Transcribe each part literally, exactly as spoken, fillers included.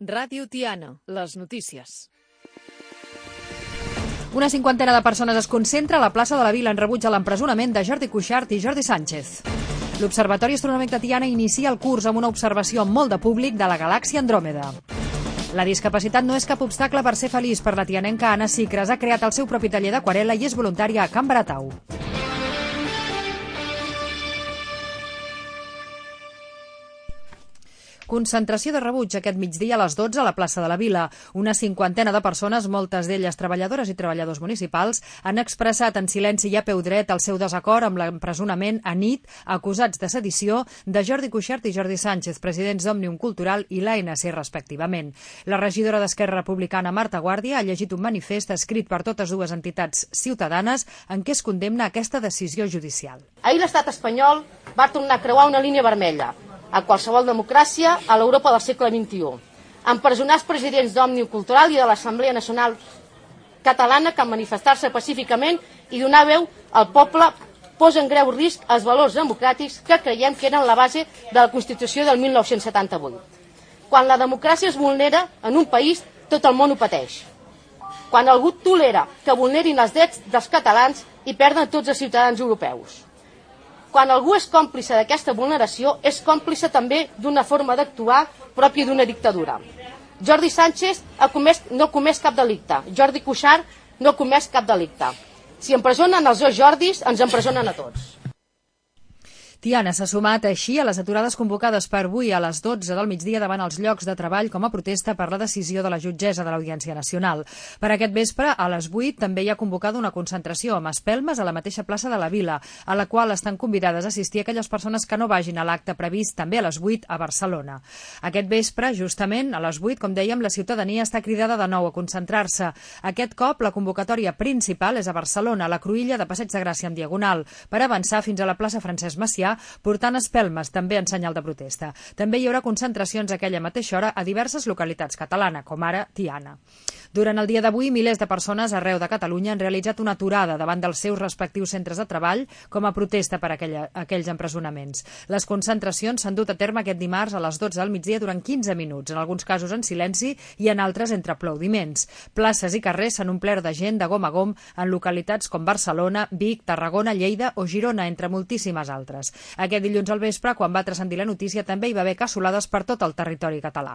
Ràdio Tiana, les notícies. Una cinquantena de persones es concentra a la plaça de la Vila en rebuig a l'empresonament de Jordi Cuixart i Jordi Sánchez. L'Observatori Astronòmic de Tiana inicia el curs amb una observació amb molt de públic de la galàxia Andròmeda. La discapacitat no és cap obstacle per ser feliç per la tianenca Anna Sicres. Ha creat el seu propi taller d'aquarel·la i és voluntària a Can Baratau. Concentració de rebuig aquest migdia a les dotze a la plaça de la Vila. Una cinquantena de persones, moltes d'elles treballadores i treballadors municipals, han expressat en silenci i a peu dret el seu desacord amb l'empresonament a nit, acusats de sedició, de Jordi Cuixart i Jordi Sánchez, presidents d'Òmnium Cultural i l'A N C respectivament. La regidora d'Esquerra Republicana, Marta Guàrdia, ha llegit un manifest escrit per totes dues entitats ciutadanes en què es condemna aquesta decisió judicial. Ahir l'estat espanyol va tornar a creuar una línia vermella a qualsevol democràcia a l'Europa del segle vint-i-u. Empresonar els presidents d'Òmnium Cultural i de l'Assemblea Nacional Catalana que manifestar-se pacíficament i donar veu al poble posa en greu risc els valors democràtics que creiem que eren la base de la Constitució del mil nou-cents setanta-vuit. Quan la democràcia es vulnera en un país, tot el món ho pateix. Quan algú tolera que vulnerin els drets dels catalans i perden tots els ciutadans europeus. Quan algú és còmplice d'aquesta vulneració, és còmplice també d'una forma d'actuar pròpia d'una dictadura. Jordi Sánchez ha comès, no ha comès cap delicte. Jordi Cuixart no ha comès cap delicte. Si empresonen els dos Jordis, ens empresonen a tots. Tiana s'ha sumat així a les aturades convocades per avui a les dotze del migdia davant els llocs de treball com a protesta per la decisió de la jutgessa de l'Audiència Nacional. Per aquest vespre, a les vuit, també hi ha convocada una concentració amb espelmes a la mateixa plaça de la Vila, a la qual estan convidades a assistir aquelles persones que no vagin a l'acte previst també a les vuit a Barcelona. Aquest vespre, justament, a les vuit, com dèiem, la ciutadania està cridada de nou a concentrar-se. Aquest cop, la convocatòria principal és a Barcelona, a la cruïlla de Passeig de Gràcia en diagonal, per avançar fins a la plaça Francesc Macià, portant espelmes també en senyal de protesta. També hi haurà concentracions a aquella mateixa hora a diverses localitats catalanes, com ara Tiana. Durant el dia d'avui, milers de persones arreu de Catalunya han realitzat una aturada davant dels seus respectius centres de treball com a protesta per aquella, aquells empresonaments. Les concentracions s'han dut a terme aquest dimarts a les dotze del migdia durant quinze minuts, en alguns casos en silenci i en altres entre aplaudiments. Places i carrers s'han omplert de gent de gom a gom en localitats com Barcelona, Vic, Tarragona, Lleida o Girona, entre moltíssimes altres. Aquest dilluns al vespre, quan va transcendir la notícia, també hi va haver cassolades per tot el territori català.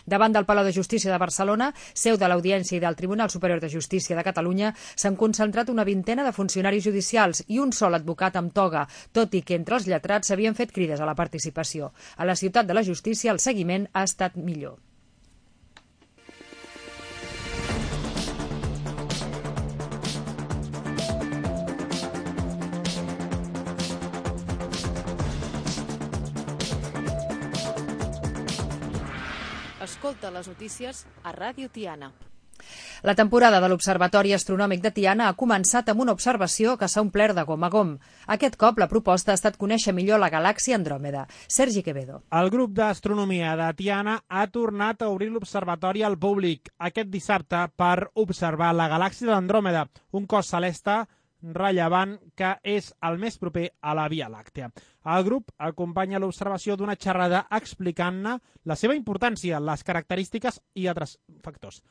Davant del Palau de Justícia de Barcelona, seu de l'Audiència i del Tribunal Superior de Justícia de Catalunya, s'han concentrat una vintena de funcionaris judicials i un sol advocat amb toga, tot i que entre els lletrats s'havien fet crides a la participació. A la ciutat de la justícia el seguiment ha estat millor. Escolta les notícies a Ràdio Tiana. La temporada de l'Observatori Astronòmic de Tiana ha començat amb una observació que s'ha omplert de gom a gom. Aquest cop la proposta ha estat conèixer millor la galàxia Andròmeda. Sergi Quevedo. El grup d'astronomia de Tiana ha tornat a obrir l'observatori al públic aquest dissabte per observar la galàxia d'Andròmeda, un cos celeste rellevant que és el més proper a la Via Làctea. El grup acompanya l'observació d'una xerrada explicant-ne la seva importància, les característiques i altres factors.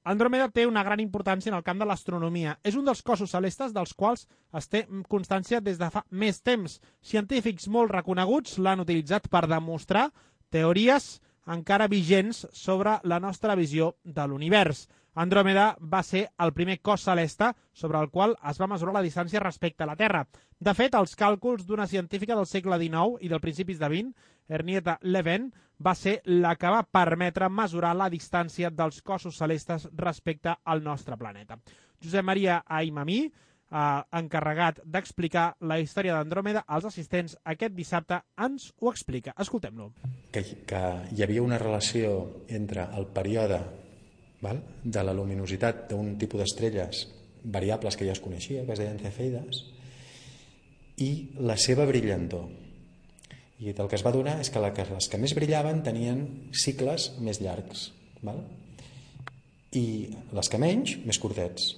Andròmeda té una gran importància en el camp de l'astronomia. És un dels cossos celestes dels quals es té constància des de fa més temps. Científics molt reconeguts l'han utilitzat per demostrar teories encara vigents sobre la nostra visió de l'univers. Andròmeda va ser el primer cos celeste sobre el qual es va mesurar la distància respecte a la Terra. De fet, els càlculs d'una científica del segle dinou i del principis de vint, Henrietta Levin, va ser la que va permetre mesurar la distància dels cossos celestes respecte al nostre planeta. Josep Maria Aimamí, eh, encarregat d'explicar la història d'Andròmeda als assistents aquest dissabte, ens ho explica. Escoltem-lo. Que, que hi havia una relació entre el període val? de la luminositat d'un tipus d'estrelles variables que ja es coneixia, que es deien cefeides, i la seva brillantor. I el que es va donar és que les que més brillaven tenien cicles més llargs, val? I les que menys, més curtets.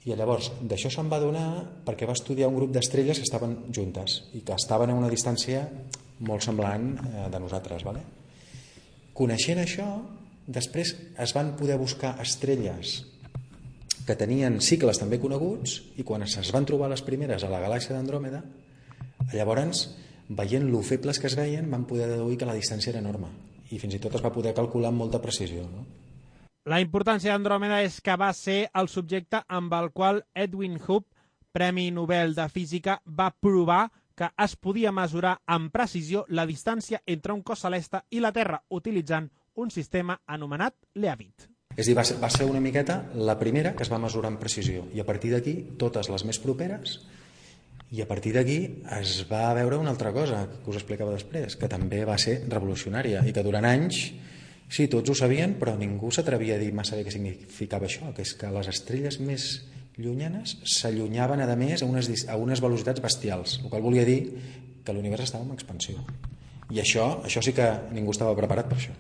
I llavors d'això se'n va donar perquè va estudiar un grup d'estrelles que estaven juntes i que estaven a una distància molt semblant de nosaltres. Vale? Coneixent això, Després es van poder buscar estrelles que tenien cicles també coneguts, i quan es van trobar les primeres a la galàxia d'Andròmeda, llavors, veient lo febles que es veien, van poder deduir que la distància era enorme i fins i tot es va poder calcular amb molta precisió, no? La importància d'Andròmeda és que va ser el subjecte amb el qual Edwin Hubble, Premi Nobel de Física, va provar que es podia mesurar amb precisió la distància entre un cos celeste i la Terra utilitzant un sistema anomenat Leavitt. És a dir, va ser, va ser una miqueta la primera que es va mesurar amb precisió, i a partir d'aquí totes les més properes, i a partir d'aquí es va veure una altra cosa que us explicava després, que també va ser revolucionària i que durant anys, sí, tots ho sabien, però ningú s'atrevia a dir massa bé què significava això, que és que les estrelles més llunyanes s'allunyaven a més a unes, a unes velocitats bestials, el qual volia dir que l'univers estava en expansió. I això, això sí que ningú estava preparat per això.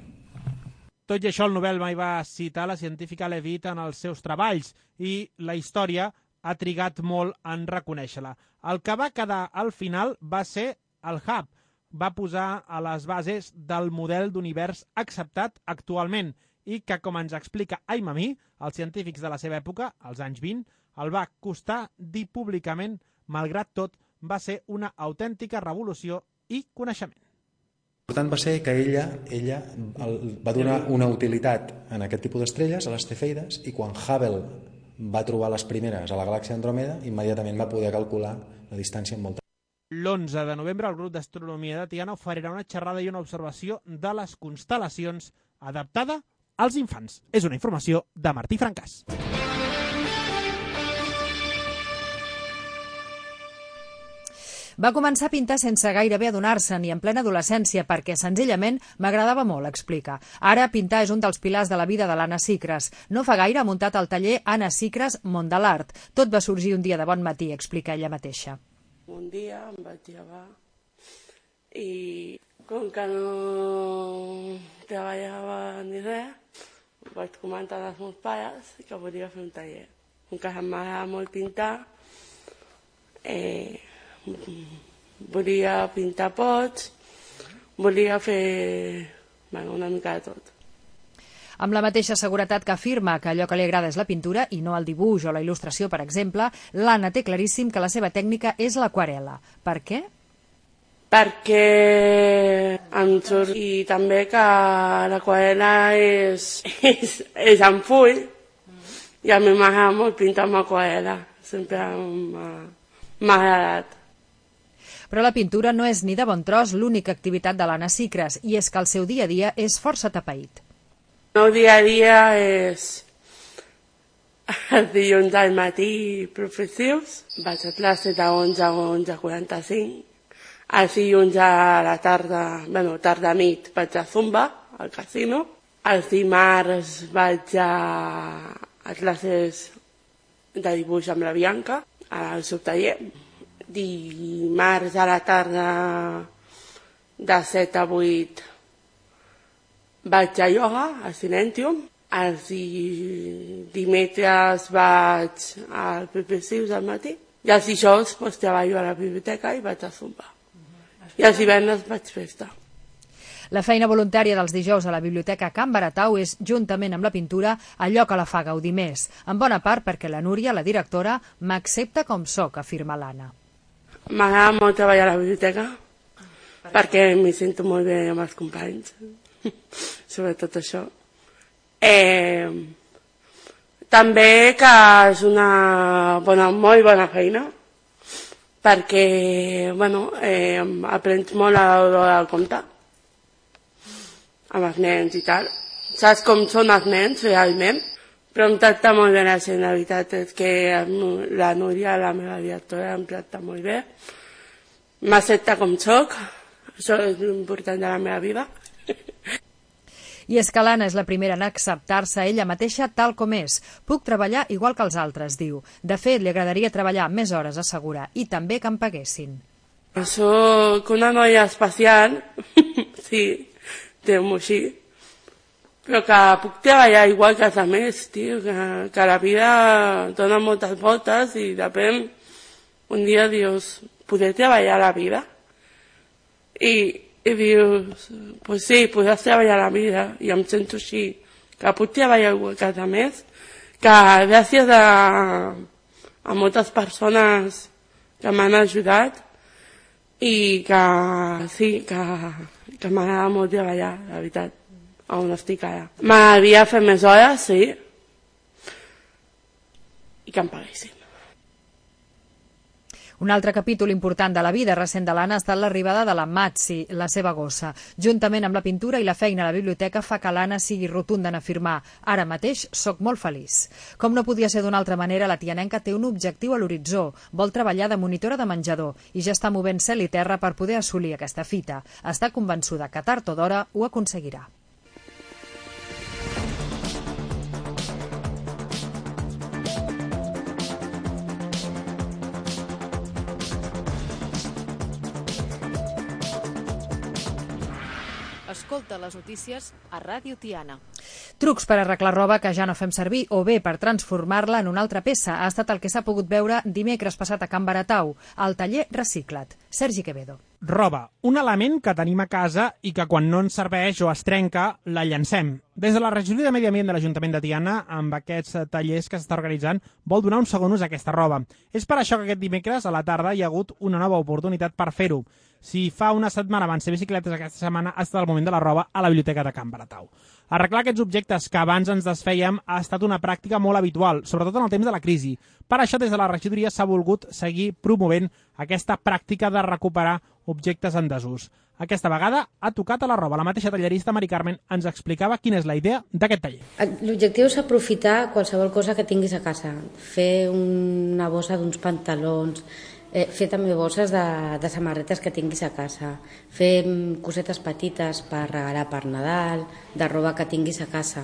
Tot i això, el Nobel mai va citar la científica Leavitt en els seus treballs i la història ha trigat molt en reconèixer-la. El que va quedar al final va ser el Hubble. Va posar a les bases del model d'univers acceptat actualment i que, com ens explica Aimami, els científics de la seva època, als anys vint, el va costar dir públicament, malgrat tot, va ser una autèntica revolució i coneixement. L'important va ser que ella, ella va donar una utilitat en aquest tipus d'estrelles, a les cefeides, i quan Hubble va trobar les primeres a la galàxia d'Andròmeda, immediatament va poder calcular la distància amb molta. L'onze de novembre el grup d'astronomia de Tiana oferirà una xerrada i una observació de les constel·lacions adaptada als infants. És una informació de Martí Francàs. Va començar a pintar sense gairebé adonar-se'n i en plena adolescència perquè senzillament m'agradava molt, explica. Ara pintar és un dels pilars de la vida de l'Anna Sicres. No fa gaire ha muntat el taller Anna Sicres Món de l'Art. Tot va sorgir un dia de bon matí, explica ella mateixa. Un dia em vaig llevar i com que no treballava ni res, vaig comentar als meus pares que volia fer un taller. Com que m'agrada molt pintar, eh, volia pintar pots, volia fer bueno, una mica de tot. Amb la mateixa seguretat que afirma que allò que li agrada és la pintura i no el dibuix o la il·lustració, per exemple, l'Anna té claríssim que la seva tècnica és l'aquarel·la. Per què? Perquè em surt i també que l'aquarel·la és, és, és en full i a mi m'agrada molt pintar amb aquarel·la, sempre m'ha agradat. Però la pintura no és ni de bon tros l'única activitat de l'Anna Sicres, i és que el seu dia a dia és força atapeït. El meu dia a dia és els dilluns al matí professius, vaig a classe de onze a onze quaranta-cinc, els dilluns a la tarda, bueno, tarda-nit vaig a Zumba, al casino, els dimarts vaig a, a classes de dibuix amb la Bianca, al seu taller, dimarts a la tarda de set a vuit vaig a ioga, a Silentium, els dimecres vaig al P P C al matí i els dijous pues, treballo a la biblioteca i vaig a Zumba. I els divendres vaig festa. La feina voluntària dels dijous a la Biblioteca Can Baratau és, juntament amb la pintura, allò que la fa gaudir més, en bona part perquè la Núria, la directora, m'accepta com soc, afirma l'Anna. M'agrada molt treballar a la biblioteca perquè m'hi sento molt bé amb els companys, sobretot això. Eh, també que és una bona, molt bona feina perquè bueno, eh, aprens molt a l'hora de comptar amb els nens i tal. Saps com són els nens realment? Però em tracta molt bé la gent, la veritat és que la Núria, la meva directora, em tracta molt bé. M'accepta com soc, això és l'important de la meva vida. I és que l'Anna és la primera en acceptar-se ella mateixa tal com és. Puc treballar igual que els altres, diu. De fet, li agradaria treballar més hores, assegura, i també que em paguessin. Soc una noia especial, sí, diguem-ho així, però que puc treballar igual que els altres, tio, que, que la vida dona moltes voltes i depèn, un dia dius, poder treballar la vida? I, i dius, pues sí, podràs treballar la vida, i em sento així, que puc treballar a casa més, que gràcies a, a moltes persones que m'han ajudat i que sí, que, que m'agrada molt treballar, la veritat, on estic ara. M'havia fet més hores, sí, i que em paguessin. Un altre capítol important de la vida recent de l'Anna ha estat l'arribada de la Matzi, la seva gossa. Juntament amb la pintura i la feina a la biblioteca fa que l'Anna sigui rotunda en afirmar «Ara mateix soc molt feliç». Com no podia ser d'una altra manera, la tianenca té un objectiu a l'horitzó. Vol treballar de monitora de menjador i ja està movent cel i terra per poder assolir aquesta fita. Està convençuda que tard o d'hora ho aconseguirà. Escolta les notícies a Ràdio Tiana. Trucs per arreglar roba que ja no fem servir o bé per transformar-la en una altra peça ha estat el que s'ha pogut veure dimecres passat a Can Baratau, al taller Recicla't. Sergi Quevedo. Roba, un element que tenim a casa i que quan no ens serveix o es trenca, la llancem. Des de la regidoria de Medi Ambient de l'Ajuntament de Tiana, amb aquests tallers que s'està organitzant, vol donar un segon ús a aquesta roba. És per això que aquest dimecres a la tarda hi ha hagut una nova oportunitat per fer-ho. Si fa una setmana van ser bicicletes, aquesta setmana ha estat el moment de la roba a la biblioteca de Can Baratau. Arreglar aquests objectes que abans ens desfèiem ha estat una pràctica molt habitual, sobretot en el temps de la crisi. Per això, des de la regidoria s'ha volgut seguir promovent aquesta pràctica de recuperar objectes en desús. Aquesta vegada ha tocat a la roba. La mateixa tallerista Mari Carmen ens explicava quina és la idea d'aquest taller. L'objectiu és aprofitar qualsevol cosa que tinguis a casa. Fer una bossa d'uns pantalons, Eh, fer també bosses de, de samarretes que tinguis a casa, fer cosetes petites per regalar per Nadal, de roba que tinguis a casa.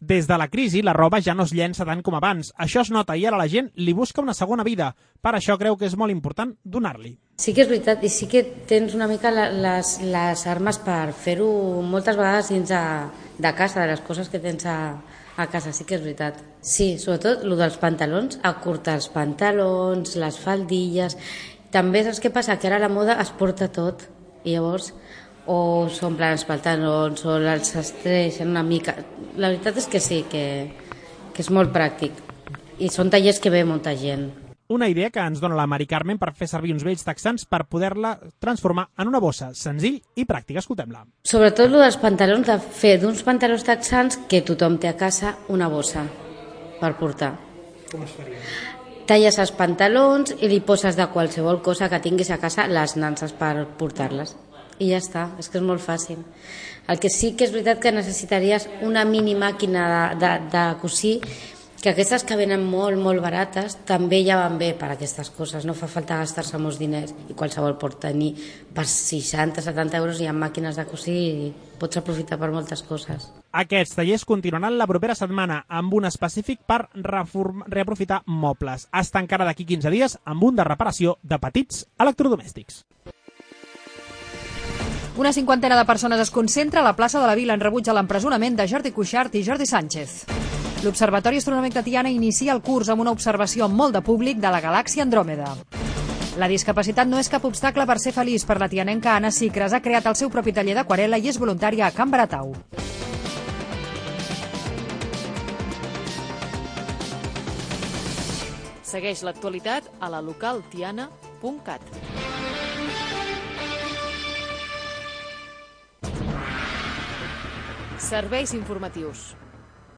Des de la crisi, la roba ja no es llença tant com abans. Això es nota i ara la gent li busca una segona vida. Per això creu que és molt important donar-li. Sí que és veritat, i sí que tens una mica les, les armes per fer-ho moltes vegades dins de, de casa, de les coses que tens a, a casa, sí que és veritat. Sí, sobretot el dels pantalons, acurtar els pantalons, les faldilles. També saps què passa? Que ara la moda es porta tot i llavors o s'omplen els pantalons o els estreixen una mica. La veritat és que sí, que, que és molt pràctic i són tallers que ve molta gent. Una idea que ens dona la Mari Carmen per fer servir uns vells texans per poder-la transformar en una bossa, senzill i pràctica. Escoltem-la. Sobretot el dels pantalons, de fer d'uns pantalons texans que tothom té a casa una bossa per portar. Com es faria? Talles els pantalons i li poses de qualsevol cosa que tinguis a casa les nanses per portar-les. I ja està, és que és molt fàcil. El que sí que és veritat que necessitaries una mini màquina de, de, de cosir, que aquestes que venen molt, molt barates també ja van bé per a aquestes coses, no fa falta gastar-se molts diners i qualsevol pot tenir per seixanta a setanta euros hi ha màquines de cosir i pots aprofitar per moltes coses. Aquests tallers continuaran la propera setmana amb un específic per reform... reaprofitar mobles. Hasta encara d'aquí quinze dies amb un de reparació de petits electrodomèstics. Una cinquantena de persones es concentra a la plaça de la Vila en rebuig a l'empresonament de Jordi Cuixart i Jordi Sánchez. L'Observatori Astronòmic de Tiana inicia el curs amb una observació amb molt de públic de la galàxia Andròmeda. La discapacitat no és cap obstacle per ser feliç. Per la tianenca Anna Sicres ha creat el seu propi taller d'aquarel·la i és voluntària a Can Baratau. Segueix l'actualitat a la local tiana punt cat. Serveis informatius.